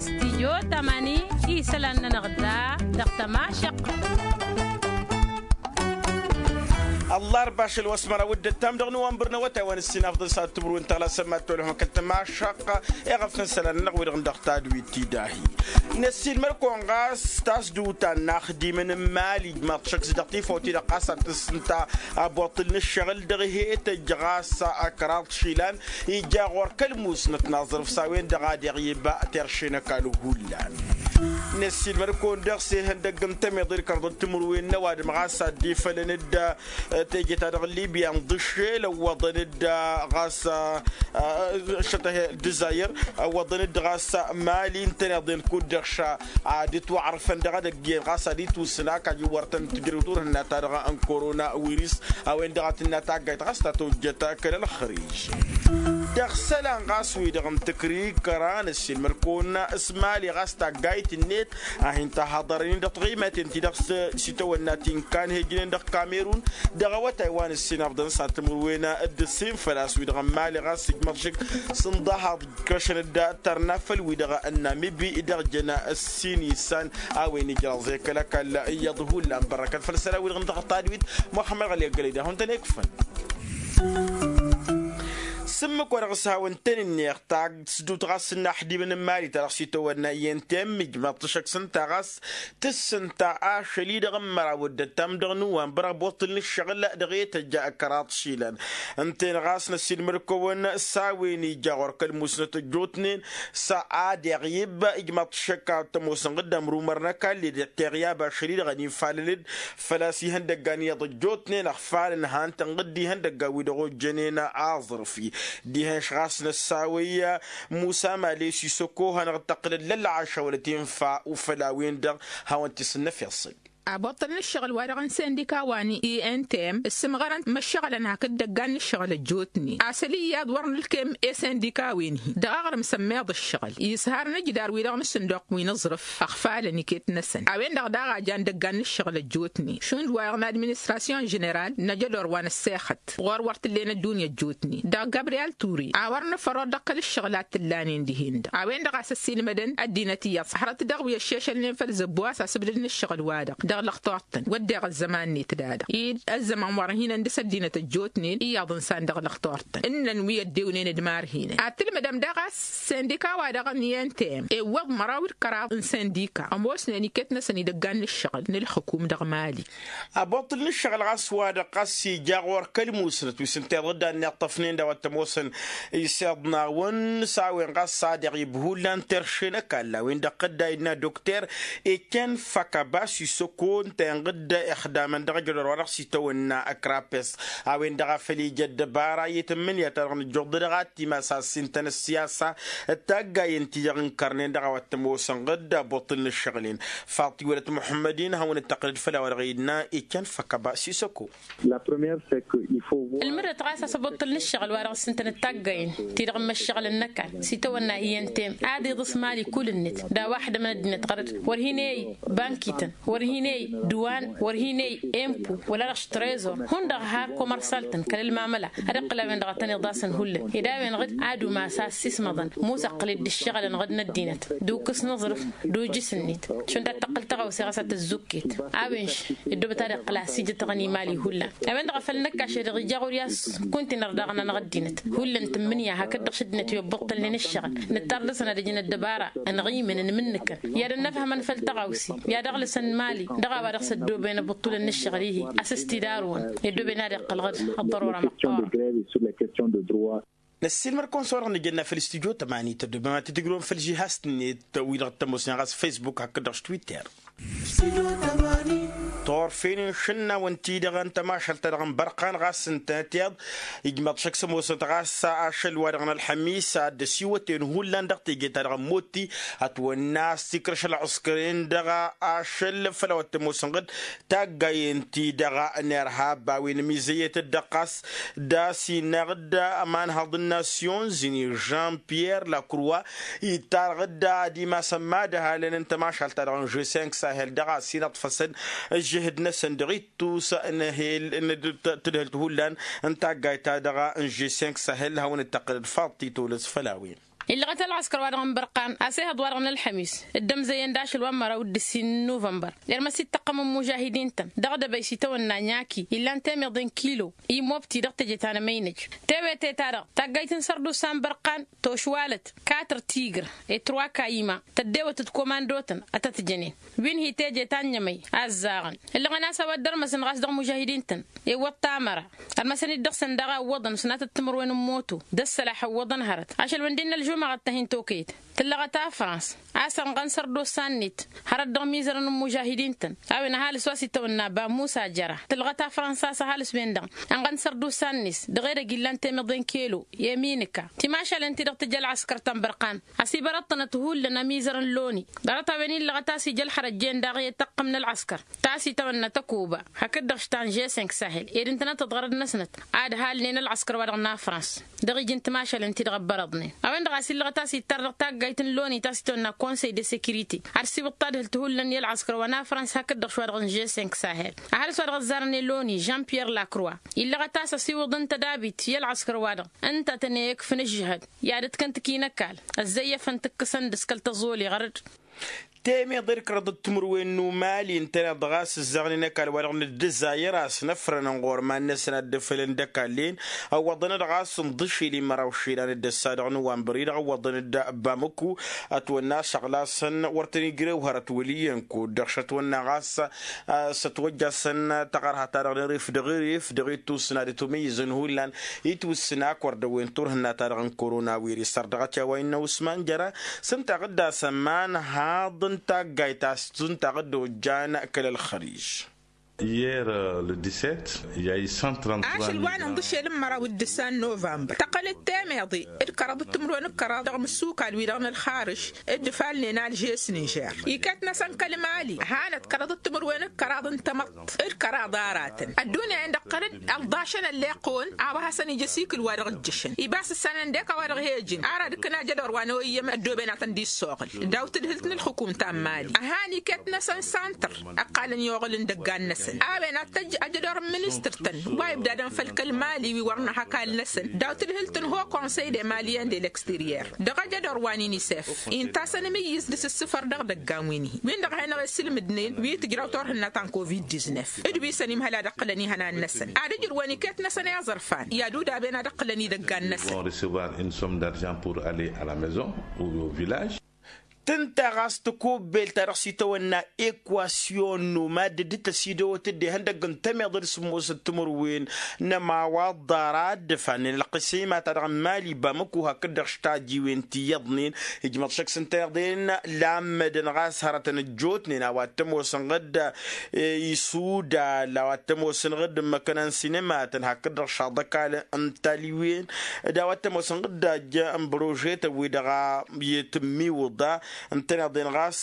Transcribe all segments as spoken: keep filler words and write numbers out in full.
Stijyo tamani isălan-nănăɣ da dăɣ-tămašăq. Ăllarba ašăl wa s-măraw d-ăttam dăɣ-năwănbăr n-awătay wa n-ǝssin afḍăn s-ad-tǝmrǝwen tăɣlasăn mad-tolhăm kăl-tămašăq. Eɣăf n-isălan-nănăɣ wi-dăɣ n-dăɣ tadwit ti dahi. Năssiilmăr-kăwăn ɣas tasdut ta n-inaxdimen n-imali ijmaḍ šăkk s-dăɣ tifawt-i-dăɣ ɣas ad-tǝssǝnta abuṭṭǝl n-ǝššăɣǝl dăɣ-he-tăjj ɣas ăkraḍ išilan. Ija ɣur-kăl-musnăt n-aẓrǝf s-a-wen-dăɣ a deɣ iba terše n-ăkall hullan. Năssiilmăr-kăwăn dăɣ-s ihăndăgg n-tămiḍe d-kărḍăt timǝrwen n-ăwadǝm ɣas ad-dd-ifălăn-dd teje-ta-dăɣ n-libya n-dăššel ăwwăḍăn-dd ɣas ăššăt-ahi d-ǝzzayăr ăwwăḍăn-dd ɣas mali ǝntăneḍ-en kud-dăɣ ša ad-ǝtwăɣrǝfăn dăɣ-edăgg iyyăn ɣas ad-itwǝsǝn a-kajǝwwărtăn tǝjrǝwt urhǝnna-ta-dăɣ n-korona wiris. A-wen-dăɣ a tǝnna taggayt ɣas ta tojjăt kăl-ălxărij. Dăɣ-isălan ɣas wi-dăɣ n-tǝkrikăra n-ăssiilmăr-kăwăn s-mali ɣas taggayt-net a hin-tahaḍărăn-in dăɣ-tiɣimaten-ti-dăɣ s-itawănna ti n-kan hejnen dăɣ-kamerun. Dăɣ-awătay wa n-ǝssin afḍăn s-ad-timǝrwen d-ǝssin făl-a-s wi-dăɣ n-mali ɣas ǝjmăḍ šik s-ǝnḍăhaḍ. Kăšăn-dd tărna făll-wi-dăɣ n-namibi dăɣ-jăn ǝssin isan a-wen ijraẓ i-kăl-ăkall iyyăḍ hullan bărrăkăt făll-isălan-wi-dăɣ n-dăɣ-tadwit. Muxămmăd ɣăli ăggălăy d-ad-hawăn-tăn-ikfăn. S-ǝmmǝk wa dăɣ-s hawăn-tăn-ǝnneɣ tasdut ɣas n-inaxdimăn n-imali ta dăɣ-s itawănna i-ntem ijmaḍ-t šăkk s-ǝnta ɣas tǝssǝnta ašăl-i-dăɣ n-măraw d-ăttam dăɣ-nǝwwănbăr ăboṭṭǝl n-ǝššăɣǝl dăɣ-e tăjja ăkraḍ išilan. Ǝnta-en ɣas năssiilmăr-kăwăn s-a-wen ija ɣur-kăl-musnăt ăjjootnen s-a deɣ iba ijmaḍ-t šăkk ad-t-ămoosăn ɣǝddam rumăr n-ăkall-i-dăɣ teɣyab ašăl-i-dăɣ ănifalăn-dd făl-a-s ihăndăggan iyyăḍ ăjjootnen ăɣfalăn han-tăn ɣǝdd ihăndăggan-wi-dăɣ ojjănen aẓrǝf-i. Dihen-š ɣas năssawăy musa male sisăko hanăɣ-dd-tăqqǝlăd lălɣaša wăla tinfa ufăl a-wen-dăɣ hawăn-t-isǝnnăf iṣṣǝl. Aboṭṭăl n-ǝššăɣǝl-wa-dăɣ n-sindika wa n-intm ǝssǝmɣărăn măššăɣǝlăn hakd idăggan n-ǝššăɣǝl ăjjootnen asăl iyyăḍ wăr nǝlkem i-sindika-wen-hi dăɣ-aɣrǝm sămmeḍ ǝššăɣǝl. Isharăn ǝjdar-wi-dăɣ n-asǝnduq wi n-aẓrǝf ăɣfalăn iket-năsăn a-wen-dăɣ daɣ a jan idăggan n-ǝššăɣǝl ăjjootnen šund wa-dăɣ n-administrasyon ženeral n-ajădor wa n-ăssexăt ɣur-wăr t-ǝllen ăddunya ăjjootnen dăɣ-gabriyal ture a wăr nǝfăr orăɣ dăɣ-kăl-ǝššăɣǝl a t-ǝllanen dihen-dăɣ. A-wen-dăɣ a-s ăssiilmădăn ăddinăt iyyăḍ s-hărăt dăɣ-wi ăššešălnen făll-zăbbu a-s asǝbdăd n-ǝššăɣǝl-wa-dăɣ dăɣ-lăxturtăn wădden ăzzăman-net d-a-dăɣ i-ăzzăman wăr-ăhinăn dăɣ-s ăddinăt ăjjootnen iyyăḍ ǝnsan dăɣ-lăxturtăn ǝnnăn wi ăddewnen d-ma ărhinen ad-tǝlmǝdăm daɣ a-s sindika-wa-dăɣ n-i n t m ewwăḍ măraw d-kăraḍ n-sindika ămoosnen iket-năsăn idăggan n-ǝššăɣǝl n-ǝlxǝkum dăɣ-mali. Aboṭṭǝl n-ǝššăɣǝl ɣas wa-dăɣ ɣas ija ɣur-kăl-musnăt wi s-ǝnta iḍǝddan n-iṭṭăfnen d-a-wa t-ămoosăn iseḍnawăn s-a-wen ɣas a deɣ ibhullan terše n-ăkall a-wen-dăɣ tădda innă dokter ecen făkăba s-isăko ǝnta inɣǝd ixdamăn dăɣ-ajădor wa dăɣ-s itawănna ăkrapes. A-wen-dăɣ a făl ija ăddăbara i-tǝmmǝnǝya ta dăɣ-nǝjjuḍ-dăɣ ad-timas a ăssintăn ăssiyasa d-taggayen-ti-dăɣ ǝnkărnen dăɣ-a-wa t-ămoosăn ɣǝd aboṭṭǝl n-ǝššăɣǝl-en. Faḍt iwălăt muḥămmăd-in hawăn-dd-tăqqǝlăd făll-a-wa dăɣ-innă ecen făkăba s-isăko. Ǝlmǝdăt ɣas a-s ăboṭṭăl n-ǝššăɣǝl wa dăɣ-s ǝntănăt taggayen-ti-dăɣ n-imăššăɣǝlăn n-ăkall s-itawănna i n t m ad-iḍǝs mali kull-net d-a-wa ăḥdămăn ăddinăt ɣărăt wăr hin-e-i bankităn wăr hin-e-i dǝwan wăr hin-e-i empo wăla dăɣ-s trezor hundăɣ har komărsal-tăn kăl-ălmamăla ad-iqqǝl a-wen-dăɣ a tăn-iḍasăn hullan ed a-wen-dăɣ ad-umas a ăssiismăḍăn musăqqǝl-dd ǝššăɣǝlăn ɣǝd n-ăddinăt d-ukǝs n-aẓrǝf d-ujǝs-net šund ad-tăqqǝl tăɣawse ɣas ad-tăzzukket. A-wen-š ăddoobăt ad-iqqǝl a ăsijătăɣăn imali hullan a-wen-dăɣ a făl năkkaš-e-dăɣ ija ɣur-i a-s kuntinăr daɣ n-anăɣ ăddinăt hullan tǝmmǝnǝya hakd-dăɣ š ăddinăt i-obbăṭṭălnen ǝššăɣǝl nǝttar dăr-săn ad-ǝjǝn ăddăbara ănɣimǝn ănmǝnnǝkăn i-ad-ănnăfhămăn făll-tăɣawse i-ad-ăɣlǝsăn mali dăɣ-a-wa dăɣ-s ăddooben abǝṭṭulăn n-ǝššăɣǝl-i-hi a-s ăstidarǝwăn i-ăddooben ad-iqqăl ɣǝd ăḍḍărora măqqoorăn. Năssiilmăr-kăwăn s-wa-dăɣ nǝjănna făll-studyo tămani tăddobem ad-t-tǝjrǝwăm făll-žihast-net wi-dăɣ t-ămoosnen ɣas facebook hakd-dăɣ s-twitter. Turfen n-išǝnnawăn-ti-dăɣ n-tămašalt-ta-dăɣ n-bărqan ɣas ǝntănăt iyyăḍ ijmăḍ šăkk s-ămoosnăt ɣas ašăl-wa-dăɣ n-ălxămis ad-dd-ăsiwăten hullan dăɣ-teje ta-dăɣ n-motti ătwănna a-s tikrăš ălɣǝskăren dăɣ-ašăl făll-a-wa t-ămoosăn ɣǝd taggayen-ti-dăɣ n-irhab a-wen ămizăyyăt-dd ɣas d-a-s innă ɣǝd ămanhăḍ n-nasyon zini jean pierre lacrua ittarɣ-dd ad-imasăn madhălăn n-tămašalt-ta-dăɣ n-g cinq sahel dăɣ-a-s inăṭṭfăsăn ǝžžǝhǝd-năsăn dăɣ-ittus n-ehel n-tǝdhǝlt hullan n-taggayt-ta-dăɣ n-g cinq sahel hawăn-dd-tăqqǝlăd faḍ titolăs făll-a-wen. Illăɣăt ălɣăskăr-wa-dăɣ n-bărqan a-s ehăḍ-wa-dăɣ n-ălxămis dd-ămzăyăn d-ašăl wa n-măraw d-ǝssin n-nuvănbăr. Irmăs-dd tăqqăm n-imužahidin-tăn dăɣ-dăbăy s-itawănna ɲaki illan temeḍe n-kilo, imobti dăɣ-teje ta n-emăynăj. Tewete-ta-dăɣ taggayt n-sărdusa n-bărqan tošwalăt, katăr tigr, etrwa kayima tăddewăt d-komando-tăn ad-tăt-jănen. Wi n-hi teje ta n-ămăy a ăzzaɣăn ǝllăɣăn a-s a-wa dd-ărmăsăn ɣas dăɣ-imužahidin-tăn. Iwwăḍ tamăra ărmăsăn-dd dăɣ-săn daɣ a ǝwwăḍăn s-natăt timǝrwen n-moto d-ăssălaḥ ǝwwăḍăn hărăt ašăl wa n-dd-innă ălžumăɣăt ta hin-tokăyăt. Tǝllăɣăt a frans a-s ănɣăn sărdosa-net hărăt dăɣ-imizărăn n-imužahidin-tăn. A-wen ăhalǝs wa s-itawănna ba musa jăra tǝllăɣăt a frans a-s ăhalǝs-wen-dăɣ ănɣăn sărdosa-net dăɣ-edăgg illan temăḍe n-kelo i-eminǝka. Timašalen-ti-dăɣ tǝjj ălɣăskăr ta n-bărqan ăsibărăḍ-tănăt hullan ămizărăn loni. Ḍarăt-a-wen illăɣăt a-s ija ălxărăt jen daɣ i-tăqqăm n-ălɣăskăr ta s-itawănna tăkuba. Hakd-dăɣ š-ta n-žesink sahel ed ǝntănăt ăḍɣărăd-năsnăt ad-halnen ălɣăskăr-wa-dăɣ n-afrans dăɣ-iji n-timašalen-ti-dăɣ ăbbărăḍnen. A-wen-dăɣ a-s illăɣăt a-s ittar dăɣ-taggayt n-loni ta s-itawănna konsey de securite ad-siwǝḍ tadhǝlt hullan i-ălɣăskăr wa n-afrans hakd-dăɣ š-wa-dăɣ n-žesink sahel. Ăhalǝs wa dăɣ-ăzzarăn i-loni jean pierre lacroi illăɣăt a-s ăsiwǝḍ ǝnta d-abit i-ălɣăskăr-wa-dăɣ ǝnta a tăn-e-ikfǝn ǝžžǝhăd i-ad-ǝtkăn tǝkinăkal ăzzăyyăfăn tǝkkǝsăn d-askăl tăẓoli ɣărăd. Temeḍe d-kăraḍăt timǝrwen n-umali ǝntăneḍ ɣas ǝzzaɣnen ăkall wa-dăɣ n-ăddăzayăr a-s năfrănăn ɣur-iman-năsăn ad-dd-ăfălăn d-ăkall-en. Ăwwăḍăn-dd ɣas n-ḍǝšil i-măraw išilan d-ăssa dăɣ-nuvănbăr-i-dăɣ ăwwăḍăn-dd bamăku. Ătwănna a-s ăɣlasăn wăr tăn-ijrew hărăt wăl' iyyăn kud-dăɣ šătwănna ɣas s-ătwăjjasăn taɣărha-ta-dăɣ n-erif dăɣ-erif dăɣ-ittus n-ad-ătumǝyyǝzăn hullan itwǝssǝn ak wăr dăwwen turhǝnna-ta-dăɣ n-korona wirǝs sărdăɣăt i-a-wa innă usman jăra. S-ǝntaɣ dd-asăman haḍ n-taggayt a-s ǝntaɣ dd-ojjan kăl-ălxărij. Hier le dix-sept, i-a-i cent trente-trois ašăl wa n-inḍǝšel n-măraw d-ǝssa n-novămbăr tăqqălăt temeḍe d-kăraḍ d-timǝrwen d-kăraḍ dăɣ-imǝssukal-wi-dăɣ n-ălxarǝš d-ifalnen alžes n-inžer iket-năsăn kăl-mali. Hanăt kăraḍ d-timǝrwen d-kăraḍ n-tamăḍt d-kăraḍ aratăn ăddunya-en-dăɣ tăqqălăt ălḍašăn ălleqqăwăn a-wa hasăn-ija asikǝl wa dăɣ-ǝjjǝšăn ibas ǝssanăn dek a-wa dăɣ-he-ǝjǝn ar ad-ǝkkǝn ajădor wa n-oyǝyyăm ăddooben ad-tăn-dd-issoɣǝl. Daw-tadhǝlt n-ǝlxǝkum ta n-mali ăhan iket-năsăn santăr ăqqalăn i-oɣǝl n-idăggan-năsăn a-wen ad-tăjj ajădor n-ministăr-tăn wa ibdadăn făll-kăl-mali wi wăr nǝha ăkall-năsăn daw-tadhǝlt n-ho konsăy de maliyen de l-exteriyer dăɣ-ajădor wa n-inisef inta a-s ănmǝyyǝz d-asǝssǝfăr dăɣ-idăggan wi n-hi-win-dăɣ a hin-ăɣesǝlmǝdnen wi tǝjraw turhǝnna ta n-covid-diznef d-wi săn imhăl ad-ăqqǝlăn ihănan-năsăn ad-ǝjrǝwăn iket-năsăn i-aẓărfan i-ad-udaben ad-ăqqǝlăn idăggan-năsăn. Vont recevoir une somme d'argent pour aller à la maison ou au village. Tǝnta ɣas takubbelt ta dăɣ-s itawănna ekwasyon n-umadd dd-tăsidăwăt dd-ihăndăgg n-temeḍe d-sǝmmosăt timǝrwen n-ămawaḍ ḍara dd-ăfannen ălqisima-ta-dăɣ n-mali bamăku hakd-dăɣ š-tajiwen ti iyyăḍnen. Ijmăḍ šăkk s-ǝnta iyyăḍen lammădăn ɣas hărătăn ăjjootnen a-wa t-ămoosăn ɣǝdda isudal a-wa t-ămoosăn ɣǝdda ǝmmăkăn n-sinema-tăn hakd-dăɣ šaḍăkal n-taliwen d-a-wa t-ămoosăn ɣǝdda ăjj n-bărožetăn-wi-dăɣ a i-tǝmmiwǝḍa. Ǝntăneḍ-en ɣas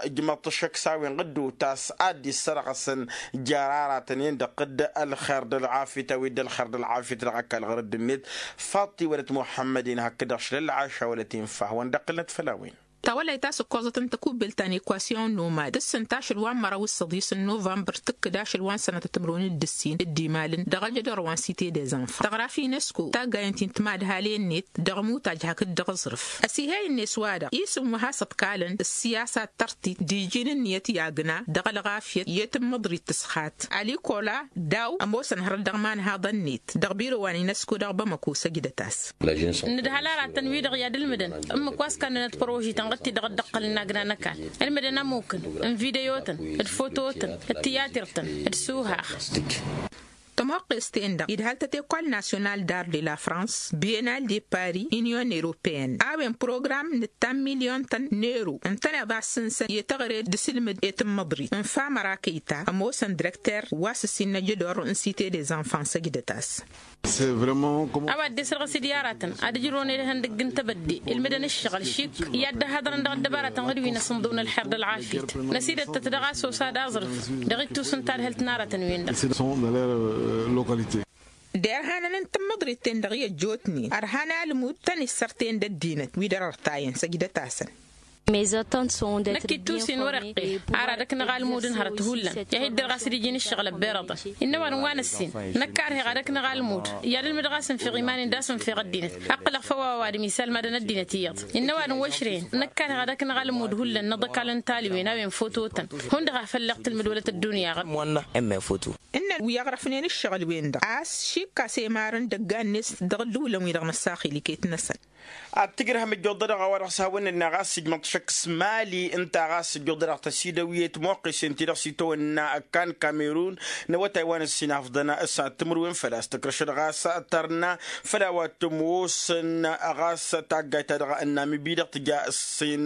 ǝjmăḍ-t ăššăk s-a-wen ɣǝdda utas ad-dd-issărɣăsăn jer-aratăn-en-dăɣ d-ălxer d-ălɣafyăt a-wen-dd ălxer d-ălɣafyăt dăɣ-ăkall ɣur-dd-net. Faḍt iwălăt muḥămmăd-in hakd-dăɣ šlălɣaša wălăt infa hawăn-dd-ăqqǝlnăt făll-a-wen. Tawăllayt a-s ǝkkoẓăt n-takubbelt ta n-ekwasyon n-umad tǝssǝn tašăl wa n-măraw s-săḍis n-novămbăr tǝkkǝd ašăl wa n-sănătăt timǝrwen d-ǝssin d-imalăn dăɣ-ajădor wa n-site des enfants tăɣra f-inesko taggayen ti n-timadhalen-net dăɣ-imutaj hakd dăɣ-aẓrǝf. Ăsihey-net wa-dăɣ isǝm wa has-ăḍkalăn ǝssiyasa d-tărtit d-iji n-ǝnniyăt i-agna dăɣ-ălɣafyăt i-tǝmmǝḍrit tǝsxat alikola daw ămoosăn hărăt dăɣ-imanhaḍăn-net dăɣ-biro wa n-inesko dăɣ-bamăko săjdăt-as. Nǝdhăl aratăn-wi-dăɣ i-ad-ǝlmǝdăn ǝmmǝk wa s-kannănăt părožităn ɣǝd-ti-dăɣ dd-ăqqălăn n-agna n-ăkall ǝlmǝdăn amukǝn n-video-tăn d-foto-tăn d-tiyatir-tăn d-suhaɣ. Tămoqqes-ten-dăɣ idhal-tăt ekol nasyonal d-ar de la frans bienal de paris union europeen a-wen program n-ǝttam milyon-tăn n-ero ǝntăneḍ a ǝssǝnsăn i-teɣăre d-asǝlmǝd i-tǝmmăḍrit n-famăra kăyta ămoosăn direkter wa s-ǝssin n-ajădor n-site des enfants săjdăt-as. A-wa dd-esrăɣ s-dd i-aratăn ad-ǝjrǝwăn edăhăn dăgg-n tebădde ǝlmǝdăn ǝššăɣǝl šik i-ad-dd-ăhhăḍărăn dăɣ-ăddăbaratăn ɣǝd wi n-asǝnḍǝw n-ălxer d-ălɣafyăt. Năsidăttăt dăɣ-a-s osa d-aẓrǝf dăɣ-ittus n-tadhǝlt n-aratăn-wen-dăɣ. Derhanăn n-tǝmmǝḍrit-ten-dăɣ i-ăjjootnen ărhan almud tăn-issărten d-ăddinăt wi dăr-ărtayăn săjdăt-asăn. Năkk ittus-in wăr-iqqel ar ad-ăknăɣ almud n-hărăt hullan. I-ad-hi-dd-dăr ɣas d-iji n-ǝššăɣǝl ăbberăḍăn innă ăwadǝm wa n-ăssin. Năkk karheɣ ad-ăknăɣ almud i-ad-ǝlmǝdăɣ a-s ǝnfiɣ iman-in d-a-s ǝnfiɣ ăddinăt. Ăqqǝlăɣ făw a-wa ăwadǝm isalmadăn ăddinăt iyyăḍ. Innă ăwadǝm wa ǝšrăyăn năkk karheɣ ad-ăknăɣ almud hullan n-iḍăkal n-talwen a-wen fototăn. Hundăɣ a făl leɣ tǝlmǝd wălăt ăddunya ɣǝr. Ǝmmǝn foto. Ǝnnăn wi ăɣrăfnen ǝššăɣǝl-wen-dăɣ a-s šikkas emarăn dăgg-annes dăɣ-ǝddǝwǝlăn-wi-dăɣ năssaxil iket-năsăn. Ad-tǝjrăhăm ǝjjuḍădăɣ a-wa-dăɣ s-hawăn-nǝnna ɣas ǝjmăḍ-t šăkk s-mali ǝnta ɣas ǝjjuḍădăɣ tăsidăwiyet moqqesen-ti-dăɣ s-itawănna ăkkan kamerun n-awătay wa n-ǝssin afḍăn s-ad-timǝrwen făl-a-s tǝkrăšăd ɣas tărna făl a-wa t-ămoosăn ɣas taggayt-ta-dăɣ n-namibi-dăɣ tǝja ǝssin.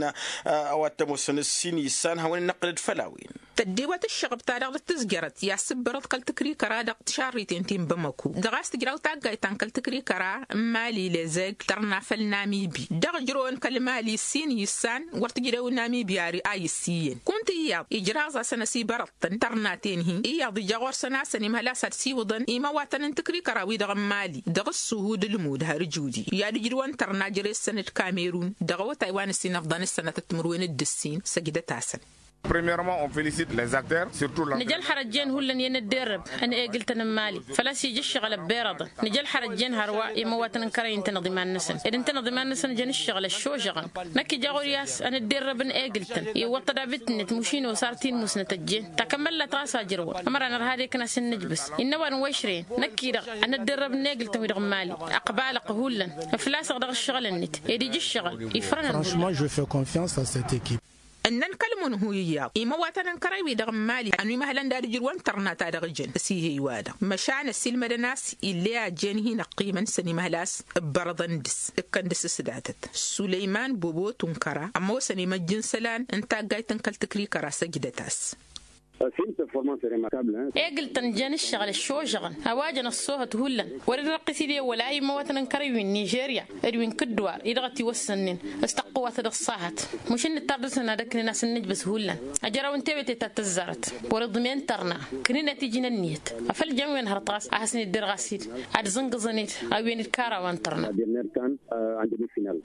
A-wa t-ămoosăn ǝssin issan hawăn-in-năqqǝlăd făll-a-wen. Tăddiwăt ǝššăɣăb-ta-dăɣ d-tǝzjărăt i-ad-sǝbbărăḍ kăl-tǝkrikăra dăɣ-tišarriten ti n-bamăku dăɣ-a-s tǝjraw taggayt ta n-kăl-tǝkrikăra n-mali lezeg tărna făll-namibi dăɣ-ǝjrăwăn kăl-mali s-in issan wăr tǝjrew namibi a issiyăn kunta iyyăḍ ijraẓ-asăn ăsibărăḍ-tăn tărnaten-hi iyyăḍ ija ɣur-săn a-săn imhăl a-s ad-siwǝḍăn imăwatăn n-tǝkrikăra-wi-dăɣ n-mali dăɣ-ǝssuhu d-ǝlmud har ǝjudi i-ad-ǝjrǝwăn tărna jere-săn d-kamerun dăɣ-awătay wa n-ǝssin ăfḍăn s-sănatăt timǝrwen d-ǝssin săjdăt-asăn. Premièrement on félicite les acteurs surtout la. Nǝja ălxărăt jen hullan i-ad-nǝdderrăb ănegǝl-tăn n-mali făl-a-s ija ǝššăɣǝl ăbberăḍăn. Nǝja ălxărăt jen hărwa i-imăwatăn n-kărăy ǝntăneḍ iman-năsăn ed ǝntăneḍ iman-năsăn jăn ǝššăɣǝl ăššožăɣăn. Năkk ija ɣur-i-as ănǝdderrăb ănegǝl-tăn iwwăḍ-t ădabit-net mušin osar ti n-musnăt ăjjeen takămăllat ɣas a ǝjrăwăn ămăra nărha ad-ekăn a-s ǝnnǝjbǝs. Innă ăwadǝm wa ǝšrăyăn năkk-i-dăɣ ănǝdderrăb ănegǝl-tăn-wi-dăɣ n-mali ăqbalăɣ hullan ǝflasăɣ dăɣ-ǝššăɣǝl-net ed ija ǝššăɣǝl ifrănăn. Franchement je fais confiance à cette équipe. Ǝnnăn kăl-munhu iyyăḍ imăwatăn n-kărăy-wi-dăɣ n-mali ănwimăhălăn d-ad-ǝjrǝwăn tărna ta dăɣ-ijăn ăsihey-wa-dăɣ măšan ăsilmădăn a-s ill'-e ajjen hin-ăqqimăn săn imăhăl a-s ǝbbărăḍăn dăɣ-s ǝkkăn dăɣ-s s-datăt sulăyman bobo tunkăra ămoosăn imăjj n-isălan n-taggayt n-kăl-tǝkrikăra săjdăt-as. Egǝl-tăn jăn ǝššăɣǝl ăššožăɣăn a-wa jăn ăṣṣoohăt hullan wăr-in-răqqǝs ide wăla imăwătăn n-kărăy wi n-nižerya d-wi n-kǝddǝwar-i-dăɣ ătiwăssănnen s-tăqqǝwăt dăɣ-ăṣṣahăt. Mušǝn nǝttar dăr-săn ad-ăknen a-s ǝnnǝjbǝs hullan ăjraw n-tewăte ta t-ăzzarăt wăr-iḍmen tărna. Kǝnnǝnăt iji n-ǝnniyăt afăl jăn wen hărăt ɣas a hasăn-idder ɣas-dd ad-zǝngǝẓăn-dd a-wen d-kara wa n-tărna.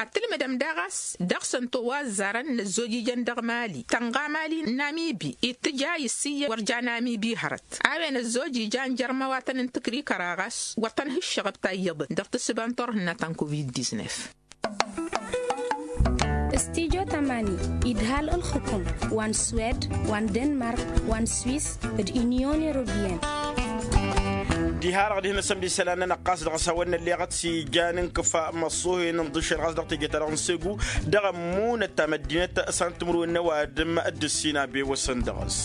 Ad-tǝlmǝdăm daɣ a-s dăɣ-săn towazzarăn n-ăzzoj ijăn dăɣ-mali tănɣa mali n-namibi ittǝja issǝyyăn wăr ja namibi hărăt a-wen ăzzoj ijan jer-imăwatăn n-tǝkrikăra ɣas wăr tăn-hǝššăɣăb ta iyyăḍăn dăɣ-tǝssǝba n-turhǝnna ta n-covid-diznef. Studyo tămani idhal ǝlxǝkum wa n-swed wa n-denmark wa n-swis d-unyon europeyăn. Diha-dăɣ dihen-năsăn d-isălan-nănăɣ ɣas dăɣ-s hawăn-nălleɣăt s-ijan n-kăfa măṣṣuhen n-ḍǝššăl ɣas dăɣ-teje-ta-dăɣ n-segu dăɣ-ămmunăt ta măddinăt s-ad-timǝrwen n-ăwadǝm d-ǝssin a bewăsăn dăɣ-s.